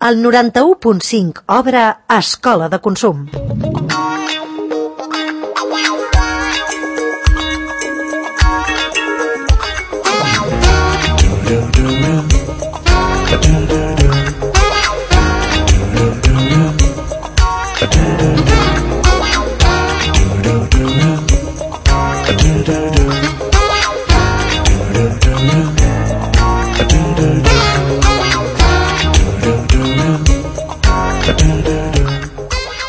El 91.5 obre Escola de Consum.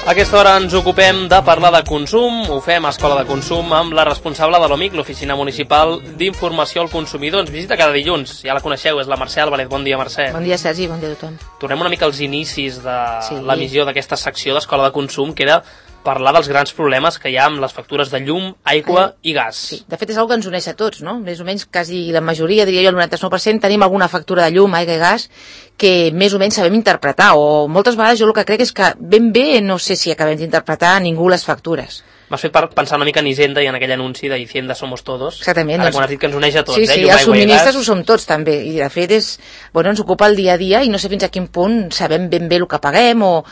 A aquesta hora ens ocupem de parlar de consum, ho fem a Escola de Consum amb la responsable de l'OMIC, l'Oficina Municipal d'Informació al Consumidor. Ens visita cada dilluns, ja la coneixeu, és la Mercè Álvarez. Bon dia, Mercè. Bon dia, Sergi, bon dia a tothom. Tornem una mica als inicis de l'emissió d'aquesta secció d'Escola de Consum, que era parlar dels grans problemes que hi ha amb les factures de llum, aigua i gas. Sí, de fet és una que ens uneix a tots, no? Més o menys quasi la majoria, diria jo el 99%, tenim alguna factura de llum, aigua i gas que més o menys sabem interpretar, o moltes vegades jo el que crec és que ben bé no sé si acabem d'interpretar ningú les factures. M'has fet pensar una mica en Hisenda i en aquell anunci de Hisenda somos todos. Exactament. Ara quan has dit que ens uneix a tots, sí, llum, els aigua i subministres gas. ho som tots també, i de fet ens ocupa el dia a dia i no sé fins a quin punt sabem ben bé el que paguem o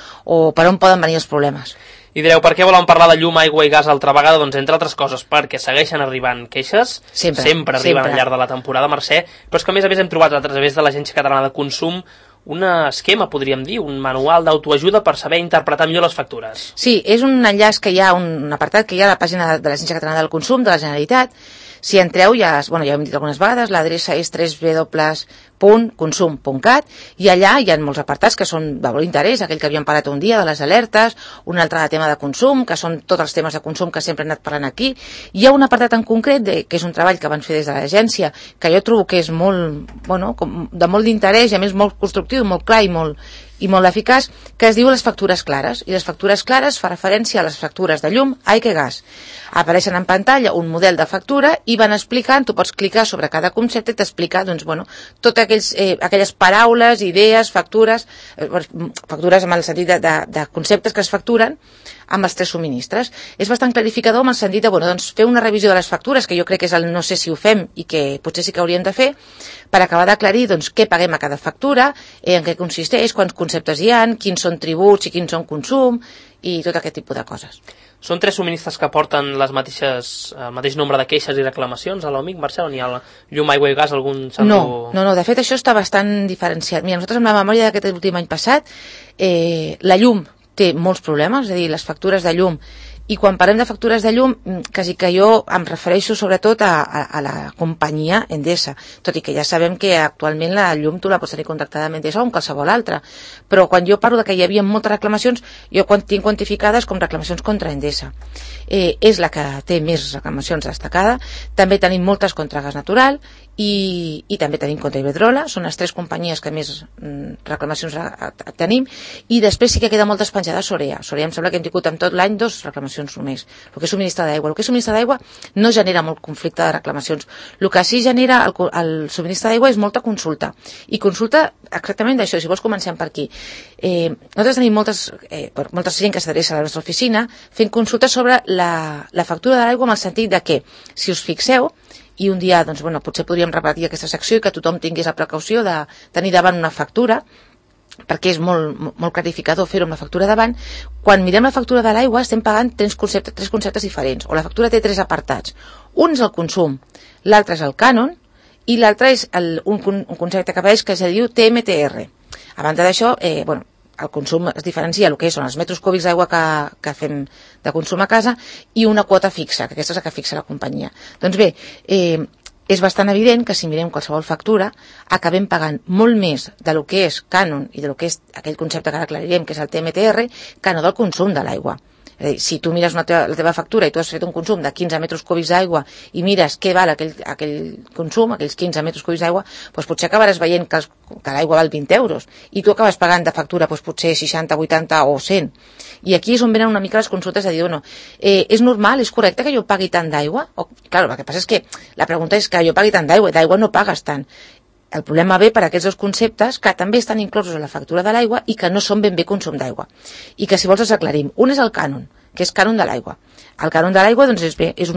per on poden venir els problemes. I direu, per què volem parlar de llum, aigua i gas altra vegada? Doncs entre altres coses perquè segueixen arribant queixes, sempre arriben al llarg de la temporada, Mercè, però és que a més hem trobat a través de l'Agència Catalana de Consum un esquema, podríem dir, un manual d'autoajuda per saber interpretar millor les factures. Sí, és un enllaç que hi ha, un apartat que hi ha a la pàgina de l'Agència Catalana del Consum, de la Generalitat. Si entreu, ja ho hem dit algunes vegades, l'adreça és www.consum.cat i allà hi ha molts apartats que són de molt interès, aquell que havíem parlat un dia de les alertes, un altre de tema de consum, que són tots els temes de consum que sempre hem anat parlant aquí. Hi ha un apartat en concret, que és un treball que van fer des de l'agència, que jo trobo que és molt, de molt d'interès i a més molt constructiu, molt clar i molt eficaç, que es diu les factures clares. I les factures clares fa referència a les factures de llum, aigua i gas. Apareixen en pantalla un model de factura i van explicant, tu pots clicar sobre cada concepte i t'explica totes aquelles paraules, idees, factures amb el sentit de conceptes que es facturen amb els tres subministres. És bastant clarificador amb el sentit de fer una revisió de les factures, que jo crec que és el no sé si ho fem i que potser sí que hauríem de fer, per acabar d'aclarir què paguem a cada factura, en què consisteix, quants conceptes hi ha, quins són tributs i quins són consum, i tot aquest tipus de coses. Són tres subministres que porten el mateix nombre de queixes i reclamacions a l'OMIC, Mercè, o n'hi ha llum, aigua i gas, algun No, de fet això està bastant diferenciat. Mira, nosaltres amb la memòria d'aquest últim any passat, la llum té molts problemes, és a dir, les factures de llum, i quan parlem de factures de llum, quasi que jo em refereixo sobretot a la companyia Endesa, tot i que ja sabem que actualment la llum tu la pots tenir contractada amb Endesa o amb qualsevol altra, però quan jo parlo de que hi havia moltes reclamacions, jo tinc quantificades com reclamacions contra Endesa. És la que té més reclamacions destacada. També tenim moltes contra gas natural i també tenim contra Iberdrola, són les tres companyies que més reclamacions tenim, i després sí que queda moltes penjades Sorea. Sorea em sembla que hem tingut en tot l'any 2 reclamacions només. El que és subministre d'aigua. El que és subministre d'aigua no genera molt conflicte de reclamacions. El que sí genera el subministre d'aigua és molta consulta. I consulta exactament d'això, si vols comencem per aquí. Nosaltres tenim molta gent que s'adreça a la nostra oficina fent consultes sobre la factura de l'aigua, amb el sentit de que, si us fixeu, i un dia potser podríem repetir aquesta secció i que tothom tingués la precaució de tenir davant una factura, perquè és molt clarificador fer-ho amb la factura davant. Quan mirem la factura de l'aigua estem pagant tres conceptes diferents, o la factura té tres apartats. Un és el consum, l'altre és el cànon i l'altre és un concepte que apareix que es diu TMTR. A banda d'això, el consum es diferencia el que són els metres cúbics d'aigua que fem de consum a casa i una quota fixa, que aquesta és la que fixa la companyia. Doncs bé, és bastant evident que si mirem qualsevol factura acabem pagant molt més del que és cànon i del que és aquell concepte que ara aclarirem, que és el TMTR, que no del consum de l'aigua. És a dir, si tu mires la teva factura i tu has fet un consum de 15 metres cúbics d'aigua i mires què val aquell consum, aquells 15 metres cúbics d'aigua, doncs potser acabaràs veient que l'aigua val 20 euros i tu acabes pagant de factura potser 60, 80 o 100. I aquí és on venen una mica les consultes de dir, és normal, és correcte que jo pagui tant d'aigua? Clar, el que passa és que la pregunta és que jo pagui tant d'aigua no pagues tant. El problema ve per aquests dos conceptes que també estan inclosos a la factura de l'aigua i que no són ben bé consum d'aigua. I que si vols els aclarim. Un és el cànon, que és cànon de l'aigua. El cànon de l'aigua és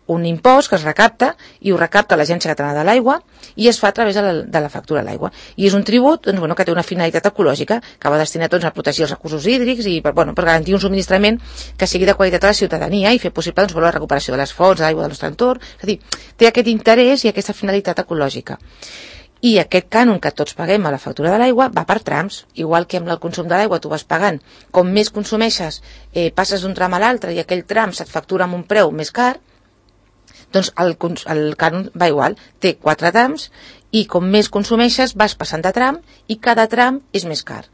un impost que es recapta i ho recapta l'Agència Catalana de l'Aigua i es fa a través de la factura de l'aigua. I és un tribut doncs, bueno, que té una finalitat ecològica que va destinat doncs, a protegir els recursos hídrics i per garantir un subministrament que sigui de qualitat a la ciutadania i fer possible doncs, la recuperació de les fonts, de l'aigua del nostre entorn. És a dir, té aquest interès i aquesta finalitat ecològica. I aquest cànon que tots paguem a la factura de l'aigua va per trams, igual que amb el consum de l'aigua tu vas pagant. Com més consumeixes, passes d'un tram a l'altre i aquell tram se't factura amb un preu més car, doncs el cànon va igual, té 4 trams i com més consumeixes vas passant de tram i cada tram és més car.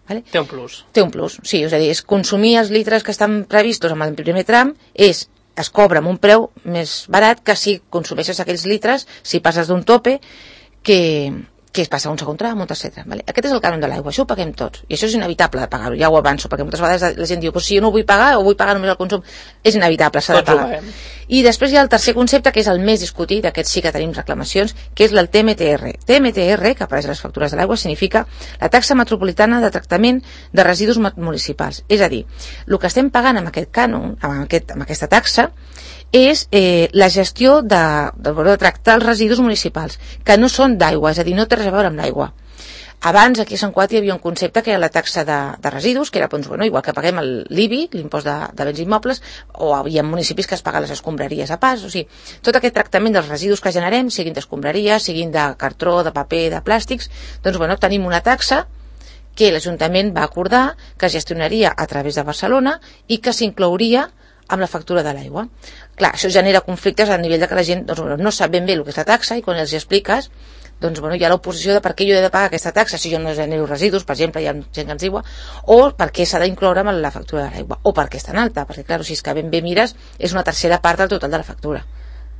Vale? Té un plus. Té un plus, sí, és a dir, és consumir els litres que estan previstos amb el primer tram es cobra amb un preu més barat que si consumeixes aquells litres, si passes d'un tope que es passa a un segon tram, un tercer tram. Vale? Aquest és el cànon de l'aigua, això ho paguem tots. I això és inevitable de pagar-ho, ja ho avanço, perquè moltes vegades la gent diu, si jo no ho vull pagar o vull pagar només el consum, és inevitable, s'ha de pagar. I després hi ha el tercer concepte, que és el més discutit, aquests sí que tenim reclamacions, que és el TMTR. TMTR, que apareix a les factures de l'aigua, significa la taxa metropolitana de tractament de residus municipals. És a dir, el que estem pagant amb aquest cànon, amb aquesta taxa, és la gestió de tractar els residus municipals, que no són d'aigua, és a dir, no té res a veure amb l'aigua. Abans, aquí a Sant Cugat hi havia un concepte que era la taxa de residus, que era, doncs, igual que paguem l'IBI, l'impost de béns immobles, o hi ha municipis que es paguen les escombraries a pas, o sigui, tot aquest tractament dels residus que generem, siguin d'escombraries, siguin de cartró, de paper, de plàstics, doncs, tenim una taxa que l'Ajuntament va acordar que es gestionaria a través de Barcelona i que s'inclouria amb la factura de l'aigua. Clar, això genera conflictes a nivell de que la gent no sap ben bé el que és la taxa i quan els expliques hi ha l'oposició de per què jo he de pagar aquesta taxa si jo no genero residus, per exemple, hi ha gent que ens diu, o per què s'ha d'incloure amb la factura de l'aigua, o per què és tan alta, perquè clar, si és que ben bé mires és una tercera part del total de la factura.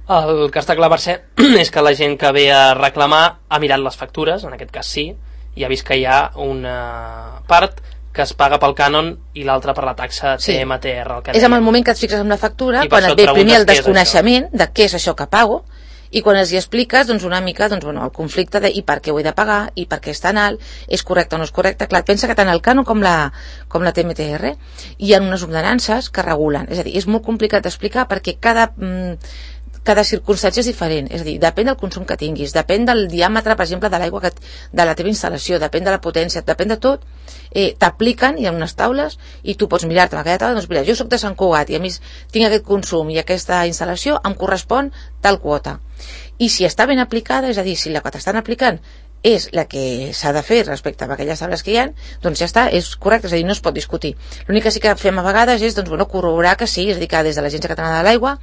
El que està clar, Mercè, és que la gent que ve a reclamar ha mirat les factures, en aquest cas sí, i ha vist que hi ha una part que es paga pel cànon i l'altra per la taxa TMTR. És en el moment que et fixes amb la factura, quan et ve primer el desconeixement de què és això que pago, i quan els hi expliques una mica el conflicte de i per què ho he de pagar, i per què és tan alt, és correcte o no és correcte. Clar, pensa que tant el cànon com la TMTR hi ha unes ordenances que regulen, és a dir, és molt complicat d'explicar perquè cada circumstància és diferent, és a dir, depèn del consum que tinguis, depèn del diàmetre, per exemple, de l'aigua de la teva instal·lació, depèn de la potència, depèn de tot, t'apliquen, hi ha unes taules i tu pots mirar-te a aquella taula, doncs mira, jo soc de Sant Cugat i a més tinc aquest consum i aquesta instal·lació, em correspon tal quota. I si està ben aplicada, és a dir, si la que t'estan aplicant és la que s'ha de fer respecte a aquelles taules que hi ha, doncs ja està, és correcte, és a dir, no es pot discutir. L'únic que sí que fem a vegades és corroborar que sí, és a dir, que des de l'Agència Catalana de l'Aigua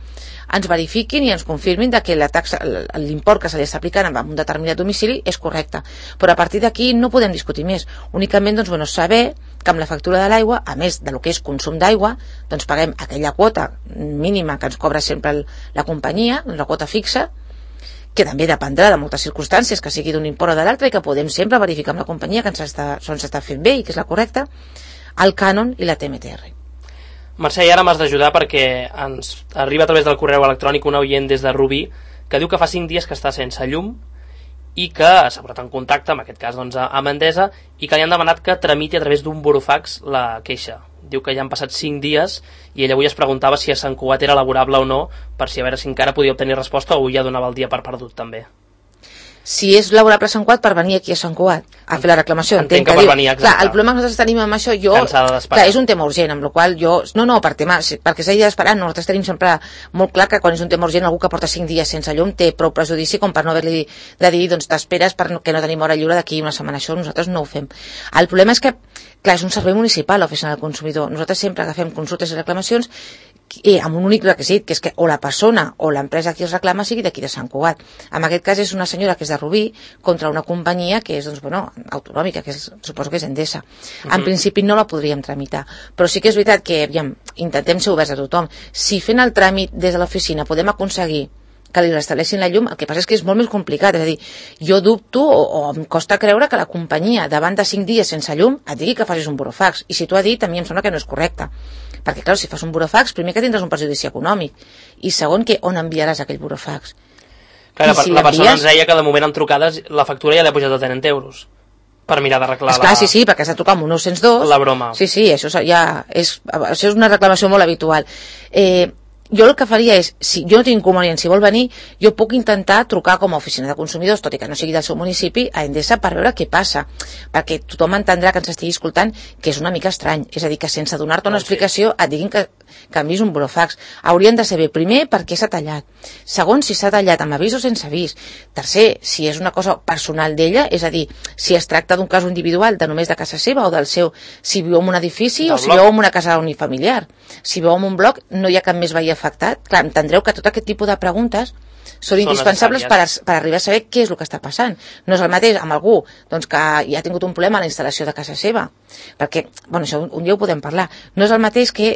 ens verifiquin i ens confirmin que la taxa, l'import que se li està aplicant en un determinat domicili és correcte. Però a partir d'aquí no podem discutir més. Únicament saber que amb la factura de l'aigua, a més de lo que és consum d'aigua, doncs paguem aquella quota mínima que ens cobra sempre la companyia, la quota fixa, que també dependrà de moltes circumstàncies, que sigui d'un import o de l'altre, i que podem sempre verificar amb la companyia que ens està fent bé i que és la correcta, el cànon i la TMTR. Mercè, i ara m'has d'ajudar perquè ens arriba a través del correu electrònic un oient des de Rubí que diu que fa 5 dies que està sense llum i que s'ha posat en contacte, en aquest cas amb Endesa, i que li han demanat que tramiti a través d'un burofax la queixa. Diu que ja han passat 5 dies i ell avui es preguntava si a Sant Cugat era laborable o no, per si a veure si encara podia obtenir resposta o ja donava el dia per perdut també. Si és laborable a Sant Cugat, per venir aquí a Sant Cugat a fer la reclamació. Entenc que per venir, exacte. Clar, el problema que nosaltres tenim amb això, és un tema urgent, amb la qual perquè s'hagi d'esperar, nosaltres tenim sempre molt clar que quan és un tema urgent algú que porta 5 dies sense llum té prou prejudici com per no haver-li de dir, doncs t'esperes perquè no tenim hora lliure d'aquí una setmana. Això nosaltres no ho fem. El problema és que, clar, és un servei municipal l'oficina del consumidor. Nosaltres sempre agafem consultes i reclamacions amb un únic requisit, que és que o la persona o l'empresa que es reclama sigui d'aquí de Sant Cugat. En aquest cas és una senyora que és de Rubí contra una companyia que és autonòmica, que suposo que és Endesa. En principi no la podríem tramitar, però sí que és veritat que intentem ser oberts a tothom. Si fent el tràmit des de l'oficina podem aconseguir que li restableixin la llum, el que passa és que és molt més complicat, és a dir, jo dubto o em costa creure que la companyia davant de 5 dies sense llum et digui que facis un burofax, i si t'ho ha dit a mi em sembla que no és correcte, perquè clar, si fas un burofax, primer que tindràs un perjudici econòmic i segon que on enviaràs aquell burofax. Clar, la persona ens deia que de moment en trucades la factura ja l'ha pujat a 30 euros per mirar d'arreglar la... Sí, perquè s'ha trucat amb un 902. La broma. Sí, això ja és una reclamació molt habitual. jo el que faria és, si jo no tinc inconvenient, si vol venir, jo puc intentar trucar com a oficina de consumidors, tot i que no sigui del seu municipi, a Endesa per veure què passa, perquè tothom entendrà que ens estigui escoltant que és una mica estrany, és a dir, que sense donar-te una explicació et diguin que enviïs un burofax. Haurien de saber, primer, per què s'ha tallat, segon, si s'ha tallat amb avís o sense avís, tercer, si és una cosa personal d'ella, és a dir, si es tracta d'un cas individual de només de casa seva o del seu, si viu en un edifici o si viu en una casa unifamiliar, si viu en un bloc, no hi ha cap més veí afectat. Clar, entendreu que tot aquest tipus de preguntes són indispensables per arribar a saber què és el que està passant. No és el mateix amb algú doncs, que ja ha tingut un problema a la instal·lació de casa seva, perquè, bueno, això un dia ho podem parlar, no és el mateix que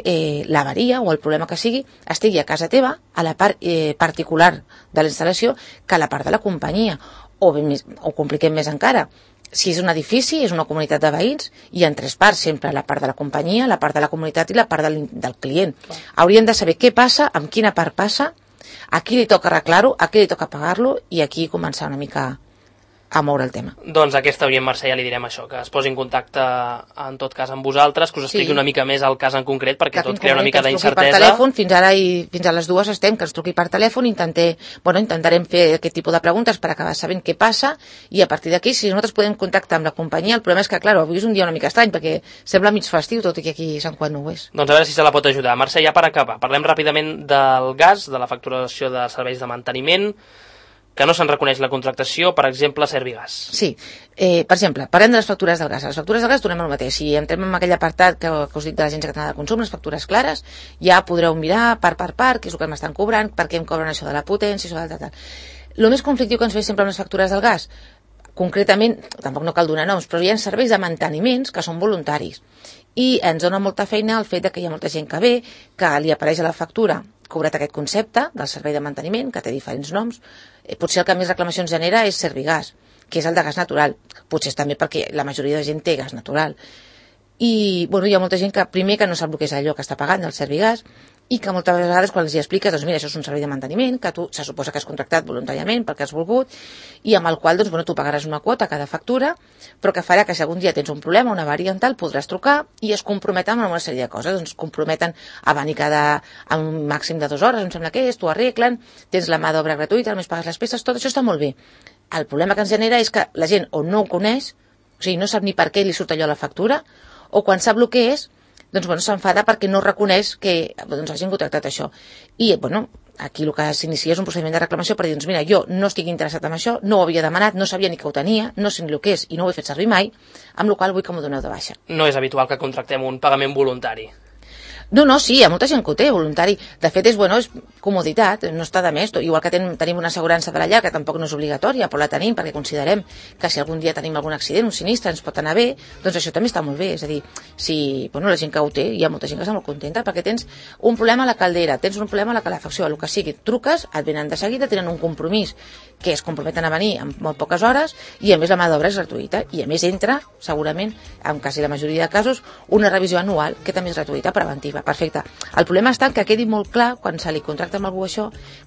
l'avaria o el problema que sigui estigui a casa teva, a la part particular de la instal·lació, que a la part de la companyia, o compliquem més encara, si és un edifici, és una comunitat de veïns, i en tres parts, sempre la part de la companyia, la part de la comunitat i la part del client. Haurien de saber què passa, amb quina part passa, a qui li toca arreglar-ho, a qui li toca pagar-lo, i aquí començar una mica a moure el tema. Doncs aquesta oient Mercè ja li direm això, que es posi en contacte en tot cas amb vosaltres, que us expliqui una mica més el cas en concret, perquè tot crea una mica d'incertesa. Per telèfon, fins ara i fins a les 2 estem, que ens truqui per telèfon, intentarem fer aquest tipus de preguntes per acabar sabent què passa, i a partir d'aquí, si nosaltres podem contactar amb la companyia, el problema és que, clar, avui és un dia una mica estrany, perquè sembla mig festiu, tot i que aquí Sant Juan no ho és. Doncs a veure si se la pot ajudar. Mercè, ja per acabar, parlem ràpidament del gas, de la facturació de serveis de manteniment, que no se'n reconeix la contractació, per exemple, Servigas. Sí, per exemple, parlem de les factures del gas. Les factures del gas tornem al mateix. Si entrem en aquell apartat que us dic de l'Agència Catalana de Consum, les factures clares, ja podreu mirar part per part què és el que m'estan cobrant, per què em cobren això de la potència, això del tal. El més conflictiu que ens ve sempre amb les factures del gas, concretament, tampoc no cal donar noms, però hi ha serveis de manteniments que són voluntaris. I ens dona molta feina el fet que hi ha molta gent que ve, que li apareix a la factura cobrat aquest concepte del servei de manteniment, que té diferents noms. Potser el que més reclamacions genera és Servigas, que és el de gas natural. Potser és també perquè la majoria de gent té gas natural. I bueno, hi ha molta gent que primer que no sap el que és allò que està pagant el Servigas, i que moltes vegades quan els hi expliques, doncs mira, això és un servei de manteniment, que tu se suposa que has contractat voluntàriament perquè has volgut, i amb el qual doncs, bueno, tu pagaràs una quota a cada factura, però que farà que si algun dia tens un problema, una avaria en tal, podràs trucar i es comprometen amb una sèrie de coses. Doncs comprometen a venir a un màxim de 2 hores, em sembla que és, t'ho arreglen, tens la mà d'obra gratuïta, només pagues les peces, tot això està molt bé. El problema que ens genera és que la gent o no ho coneix, o sigui, no sap ni per què li surt allò a la factura, o quan sap el que és, doncs bueno, s'enfada perquè no reconeix que doncs, hagin contractat això. I bueno, aquí el que s'inicia és un procediment de reclamació per dir, doncs mira, jo no estic interessat en això, no ho havia demanat, no sabia ni que ho tenia, no sé ni el que és i no ho he fet servir mai, amb la qual vull que m'ho doneu de baixa. No és habitual que contractem un pagament voluntari. No, sí, hi ha molta gent que ho té, voluntari. De fet, és comoditat, no està de més. Igual que tenim una assegurança de la llar, que tampoc no és obligatòria, però la tenim perquè considerem que si algun dia tenim algun accident, un sinistre, ens pot anar bé, doncs això també està molt bé. És a dir, si la gent que ho té, hi ha molta gent que està molt contenta, perquè tens un problema a la caldera, tens un problema a la calefacció, el que sigui, truques, et venen de seguida, tenen un compromís que es comprometen a venir en molt poques hores, i a més la mà d'obra és gratuïta, i a més entra, segurament, en quasi la majoria de casos, una revisió anual, que també és gratuïta, preventiva. Perfecte. El problema està que quedi molt clar, quan se li contracta amb algú això,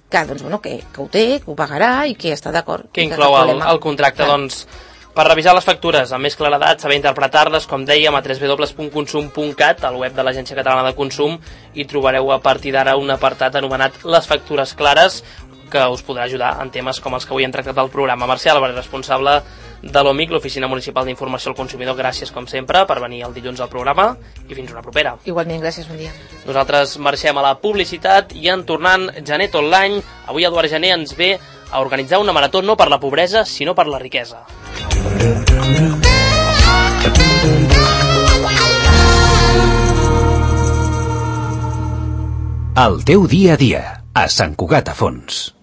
que, doncs, bueno, que ho té, que ho pagarà i que està d'acord. Que inclou el contracte, clar. Doncs, per revisar les factures amb més claredat, saber interpretar-les, com dèiem, a www.consum.cat, al web de l'Agència Catalana de Consum, i trobareu a partir d'ara un apartat anomenat Les factures clares, que us podrà ajudar en temes com els que avui hem tractat al programa. Mercè Álvarez, responsable de l'OMIC, l'Oficina Municipal d'Informació al Consumidor, gràcies com sempre per venir el dilluns al programa i fins una propera. Igualment, gràcies, bon dia. Nosaltres marxem a la publicitat i en tornant Genet Online, avui Eduard Gené ens ve a organitzar una marató no per la pobresa sinó per la riquesa. El teu dia a dia, a Sant Cugat a Fons.